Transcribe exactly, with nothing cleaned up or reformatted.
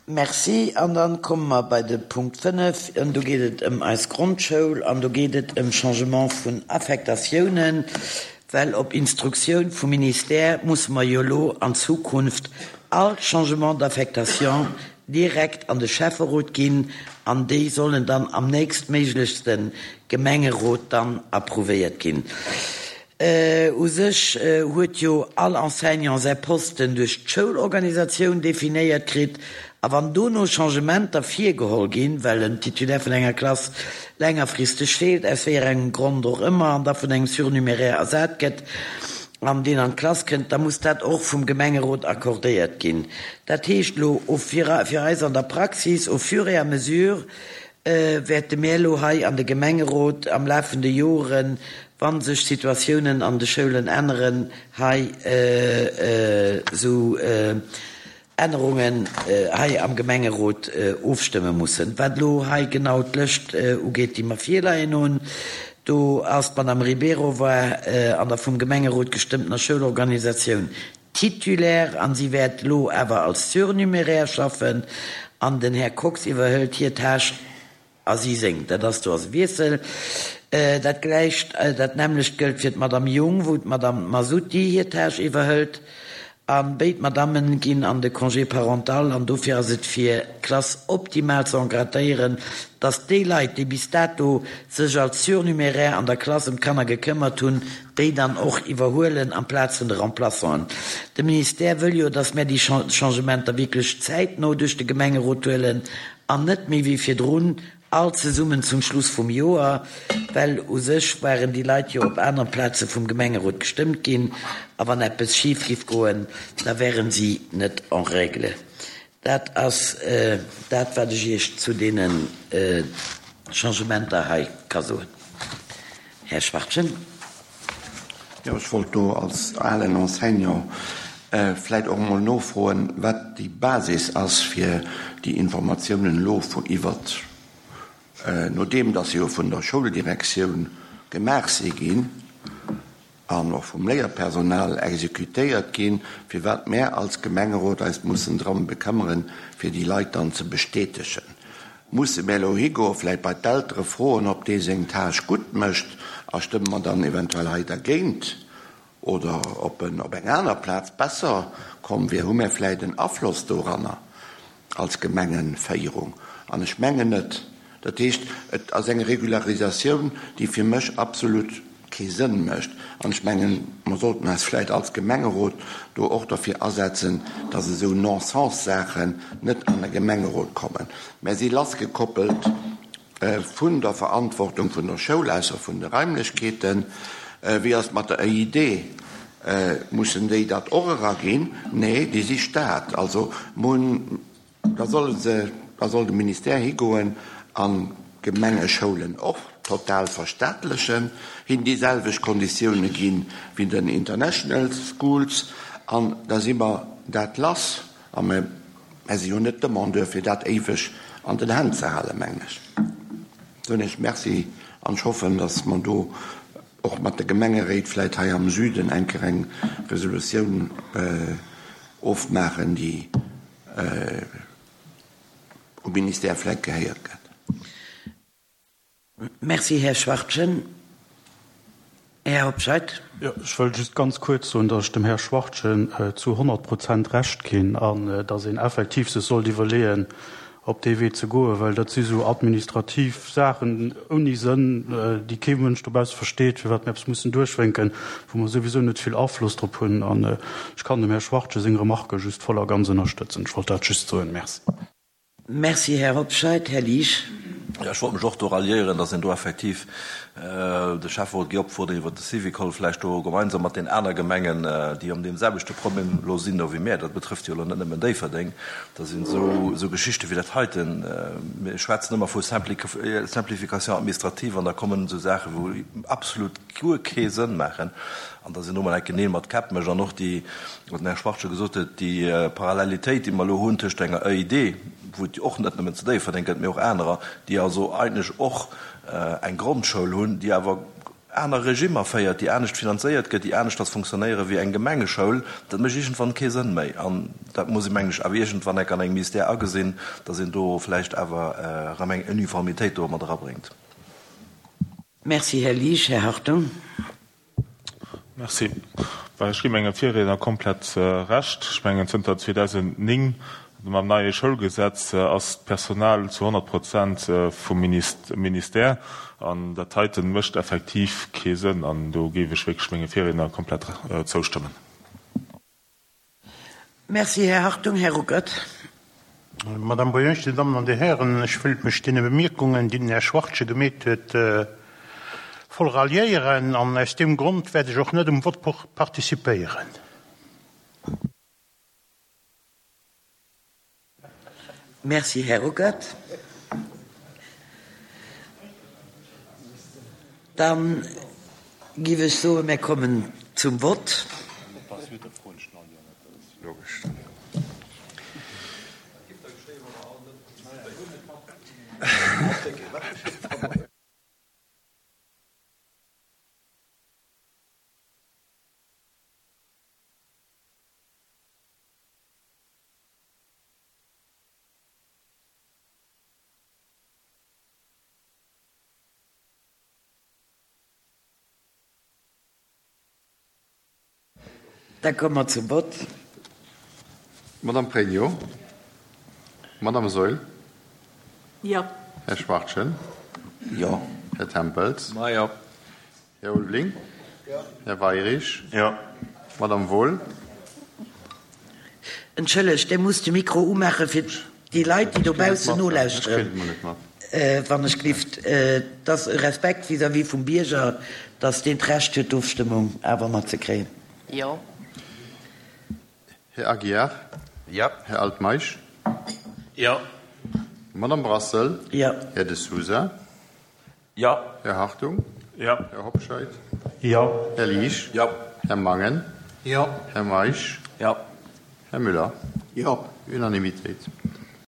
Merci. An dann komme mer bei de Punkt fënnef. An do geet et ëm eis Grondschoul an do geet et ëm Changement vun Affektatiounen, well op Instruktioun vum Ministère musse mer jo elo an Zukunft all Changement d'affectation direkt an de Schäfferot ginn an déi sollen dann am nächstméiglechste Gemengerot dann approuvéiert ginn. U sech huet jo all Enseignant säi Posten duerch d'Schoulorganisatioun definéiert kritt, a wann dono Changementer virgeholl ginn, well en Titulaire vun enger Klass längerfristeg feelt, aus wéi engem Grond och ëmmer, an da vun engem Surnuméraire ersat gëtt an deen an d'Klass kënnt, da muss dat och vum Gemengerot accordéiert ginn. Dat heescht elo fir eis an der Praxis, au fur et à mesure wäerte mir elo hei an de Gemengerot am Laf vun de Joren, wa sech Situatiounen an de Schoulen änneren, hei esou Ännerungen hei am Gemengerot ofstëmme mussen. Wat elo hei genau d'Lëscht ugeet, déi mer virleien hunn, do ass d'Madame Ribeiro war an der vum Gemengerot gestëmmtener Schoulorganisatioun Titulaire an si wäert elo awer als Surnuméraire schaffen an den Här Kox iwwerhëlt hir Tâche a si seng. Dat ass do ass e Wiessel. Dat gläicht, dat nämmlecht gëllt fir d'Madame Jung, wou d'Madame Masutti hir Tâche iwwerhëlt. A béid Madammen ginn an de Congé parental an dofir ass et fir d'Klass optimal ze encadréieren, dass déi Leit, déi bis dato sech als Surnuméraire an der Klass ëm d'Kanner gekëmmert hunn, déi dann och iwwerhuelen amplaz vun de Remplaçanten. De Ministère wëll jo, dass mär déi Changementer wierklech zäitno duerch de Gemengerot huelen an net méi wéi virdrun all zesummen zum Schluss vum Joer, well u sech waren déi Leit jo op anere Plaze vum Gemengerot gestëmmt ginn a wann eppes schif giff goen, da wären si net en règle. Dat ass dat, wat ech Iech zu deene Changementer hei ka soen. Här Schwachtgen. Jo, ech wollt do als alen Enseignant vläit och emol nofroen, wat déi Basis ass, fir déi Informatiounen elo iwwert, nodeem dass se jo vun der Schouldirektioun gemaach si ginn an och vum Léierpersonal exekutéiert ginn, firwat mär als Gemengerot eis mussen drëm bekëmmeren, fir déi Leit dann ze bestätegen. Musse mär elo higoen, vläit bei d'Eltere froen, ob dee seng Tâche gutt mécht, a stëmme mer dann eventuell hei dergéint, oder ob en op eng aner Plaz besser komm wier? Hu mär vläit en Afloss doranner als Gemengenféierung? An ech mengen net. Dat heescht, et ass eng Regularisatioun, déi fir mech absolut kee Sënn mécht. An ech mengen, mer sollten eis vläit als Gemengerot do och derfir asetzen, dass esou Non-sens-Saachen net an de Gemengerot kommen. Mär si lassgekoppelt vun der Verantwortung vun der Schoul, ausser vun de Raimlechkeeten. Wéi ass et mat der E I D? Mussen déi dat och eraginn? Nee, déi si Staat. Also mun, da solle se, da soll de Ministère higoen an d'Gemengeschoulen och total verstaatlechen, hinnen déi selwecht Konditioune ginn wéi den International Schools, an da si mer dat lass. A mir si jo net Demandeur, fir dat éiweg an den Hänn ze halen, mengen ech. Soen ech Merci an ech hoffen, datt mer do och mat de Gemengeréit vläit hei am Süden eng Kéier eng Resolutioun ofmaachen, déi um Ministère vläit gehéiert gëtt. Merci, Här Schwachtgen. Här Hobscheit. Jo, ech wëll just ganz kuerz soen, datt ech dem Här Schwachtgen zu honnert Prozent Recht ginn an datt een effektiv sech sollt iwwerleeën, op dee Wee ze goen, well dat si sou administrativ Saachen ouni Sënn, déi kee Mënsch dobausse versteet, firwat mir eppes mussen duerchwénken, wou mer souwisou net vill Afloss drop hunn. An ech kann dem Här Schwachtgen seng Remarquë just voll a ganz ënnerstëtzen. Ech wollt dat just soen. Merci. Merci, Här Hobscheit. Här Liesch. Jo, ech wollt mech och do ralliéieren, dass een do effektiv de Schäfferot géi opfuerderen, iwwert de Syvicol vläicht do gemeinsam mat den aner Gemengen, déi an deem selwechte Problem elo sinn do wéi mär, dat betrëfft jo elo net nëmmen Déifferdeng, da sinn esou esou Geschichte wéi dat heiten, mir schwätzen ëmmer vu Simplification administrative an da kommen esou Saachen, wou absolut guer kee Sënn maachen an dass een do mol enke Neel mat Käpp mécht an och déi, wat den Här Schwarz scho gesot huet, déi Parallelitéit, déi mer elo hunn tëscht enger E I D, wou et jo och net nëmmen zu Déifferdeng gëtt, mee och anerer, déi also eigentlech och eng Grondschoul hunn, déi awer aner Regimmer féiert, déi anescht finanzéiert gëtt, déi aneschters funktionéiere wéi eng Gemengeschoul, dat mécht iergendwann kee Sënn méi. An dat muss ee, mengen ech, awer iergendwann enk an engem Ministère agesinn, dass een do vläicht awer erëm eng Uniformitéit do mat erabréngt. Merci, Här Liesch. Här Hartung. Merci. Well ech gi menge Virriedner komplett Recht. Ech mengen, zënter zweedausendnéng, mam neie Schoulgesetz, ass d'Personal zu honnert Prozent vum Ministère. An dat heite mécht effektiv kee Sënn. An do géif ech wierklech menge Virriedner komplett zoustëmmen. Merci, Här Hartung. Här Ruckert. Madame Boyonsch, Dir Dammen an Dir Hären, ech wëilt mech deene Bemierkungen, déi den Här Schwartje gemeet huet, voll ralliéieren an aus deem Grond wäert ech och net um Vott participéieren. Merci, Här Ruckert. Dann giff ech soen, mir kommen zum Vott. Da komme mer zum Vott. Madame Pregno. Madame Saeul. Jo. Här Schwachtgen. Jo. Här Tempels. Ma jo. Här Ulveling. Jo. Här Weirich. Jo. Madame Wohl. Entschëllegt, Dir musst de Mikro umaache fir déi Leit, déi dobaussen nolauschteren, wann ech glift. Et ass e Respekt vis-à-vis vum Bierger, dass deen d'Recht huet, d'Ofstëmmung awer matzekréien. Jo. Här Aguiar. Jo. Här Altmeisch. Jo. Madame Brassel. Jo. Här De Sousa. Jo. Här Hartung. Jo. Här Hobscheit. Jo. Här Liesch. Jo. Här Mangen. Jo. Här Meisch. Jo. Här Müller. Jo. Unanimitéit.